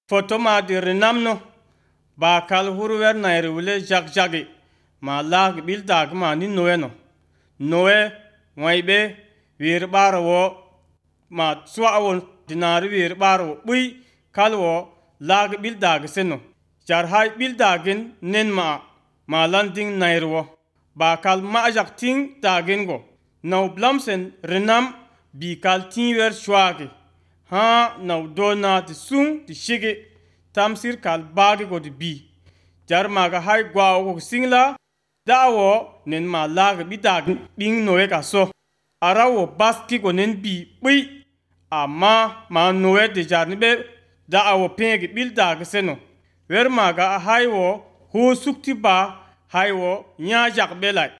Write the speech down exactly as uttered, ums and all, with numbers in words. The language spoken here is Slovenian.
Foto ma di renamno ba kal hurwer na rewle jak jagi ma lag bil dag ma ni noeno noe waibe wir baro ma swawo dinari wir baro bui kalwo lag bil dag seno jar hay bil dagin nen ma ma landing nairwo ba kal ma jak ting dagin go now blamsen renam bi kal tinwer shwagi ha now dona ti sung ti shige tamsir kal bagi go di bi jar maga hay gwa go singla dawo nen ma lag bi dag bing noe ka so arawo baski go nen bi bui amma ma noe de jar ni be dawo pegi bil dag seno wer maga hay wo hu sukti ba hay wo nya jak belai